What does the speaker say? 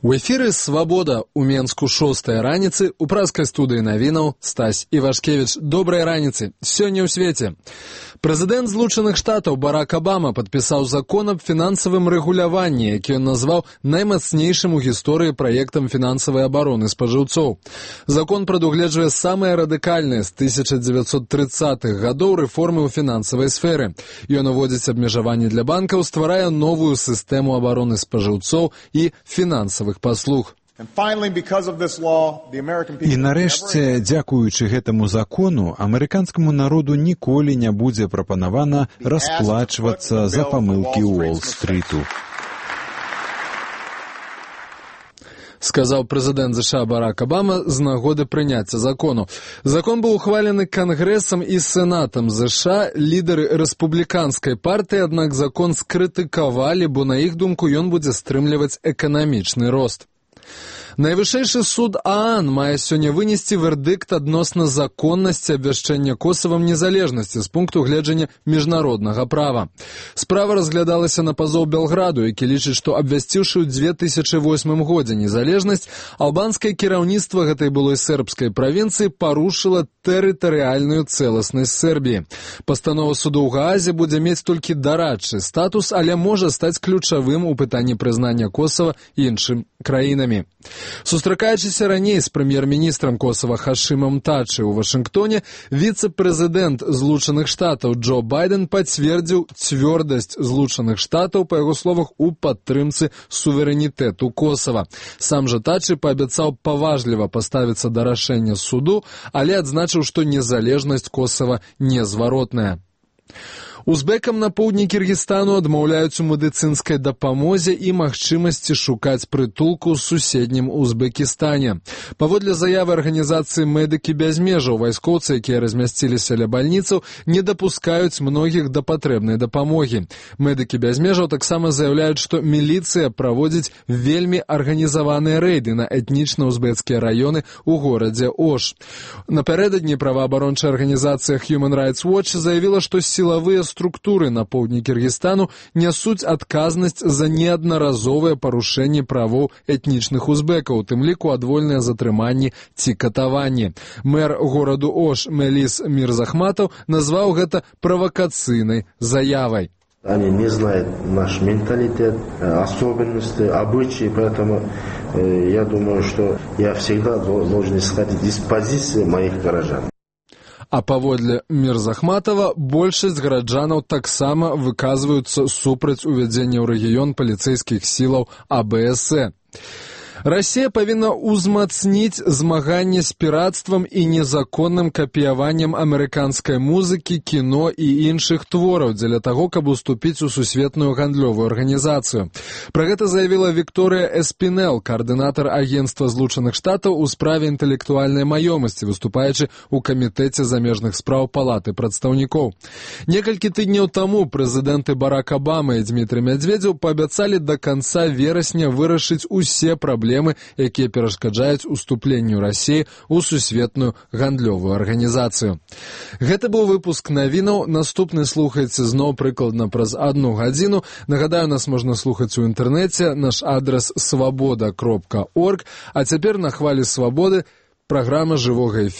У эфіры «Свабода» у Менску 6-я раніцы, у праскай студыі навінаў Стась Івашкевіч. Добрай раніцы. Сёння ў свеце. Прэзідэнт Злучаных Штатаў Барак Абама падпісаў закон аб фінансавым рэгуляванні, які ён назваў наймацнейшым у гісторыі праектам фінансавай абароны спажыўцоў. Закон прадугледжвае самыя радыкальныя з 1930-х гадоў рэформы ў фінансавай сферы. Ён уводзіць абмежаванні для банкаў, стварае новую сістэму абароны спажыўцоў і фінансавых паслуг. І нарэшце, дзякуючы гэтаму закону, амерыканскаму народу ніколі не будзе прапанавана расплачвацца за памылкі Уолл-стрыту. Сказаў прэзідэнт США Барак Абама з нагоды прыняцця закону. Закон быў ухвалены Кангрэсам і Сенатам США. Лідары рэспубліканскай партыі, аднак закон скрытыкавалі, бо на іх думку ён будзе стрымліваць эканамічны рост. Найвышэйшы суд ААН мае сёння вынесці вердыкт адносна законнасці абвяшчэння Косавам незалежнасці з пункту гледжання міжнароднага права. Справа разглядалася на пазоў Белграду, які лічыць, што абвясціўшы ў 2008 годзе незалежнасць, албанскае кіраўніцтва гэтай былой сербскай правінцыі парушыла тэрытарыяльную цэласнасць Сербіі. Пастанова суду ў Гаазе будзе мець толькі дарадчы статус, але можа стаць ключавым у пытанні прызнання Косава іншым краінамі. Сустракаючыся раней з прэм'ер-міністрам Косава Хашымам Тачы ў Вашынгтоне, віцэ-прэзідэнт Злучаных Штатаў Джо Байден пацвердзіў цвёрдасць Злучаных Штатаў, па яго словах, у падтрымцы суверэнітэту Косава. Сам жа Тачы паабяцаў паважліва паставіцца да рашэння суду, але адзначыў, што незалежнасць Косава незваротная. Узбекам на поўдні Кіргізстану адмаўляюць у медыцынскай дапамозе і магчымасці шукаць прытулку ў суседнім Узбекістане. Паводле заявы арганізацыі «Медыкі без межаў», вайскоўцы, якія размясціліся ля бальніцаў, не дапускаюць многіх да патрэбнай дапамогі. «Медыкі без межаў» таксама заяўляюць, што міліцыя праводзіць вельмі арганізаваныя рэйды на этнічна-узбецкія раёны ў горадзе Ош. Напярэдадні праваабарончая арганізацыя Human Rights Watch заявіла, што сілавыя структуры на поўдні Кіргізстану нясуць адказнасць за неаднаразовыя парушэнні правоў этнічных узбекаў, у тым ліку адвольныя затрыманні ці катаванні. Мэр гораду Ош Мелис Мирзахматов назваў гэта правакацыйнай заявай. Они не знают наш менталитет, особенности, обычаи, поэтому я думаю, что я всегда должен исходить из позиции моих горожан. А паводле Мирзахматова, большасць гараджанаў таксама выказваюцца супраць увядзення ў рэгіён паліцэйскіх сілаў АБС. Расія павінна ўзмацніць змаганне з пірацтвам і незаконным капіяваннем амерыканскай музыкі, кіно і іншых твораў дзеля таго, каб уступіць у сусветную гандлёвую арганізацыю. Пра гэта заявіла Вікторыя Эспінел, каардынатар агенцтва Злучаных Штатаў у справе інтэлектуальнай маёмасці, выступаючы ў камітэце замежных спраў Палаты прадстаўнікоў. Некалькі тыдняў таму прэзідэнты Барак Абама і Дмітрый Медведзеў паабяцалі да канца верасня вырашыць усе праблемы, якія перашкаджаюць уступленню Расіі ў сусветную гандлёвую арганізацыю. Гэта быў выпуск навінаў. Наступны слухайце зноў прыкладна праз 1 гадзіну. Нагадаю, нас можна слухаць у інтэрнэце. Наш адрас свабода.орг. А цяпер на хвалі свабоды праграма жывога эфіру.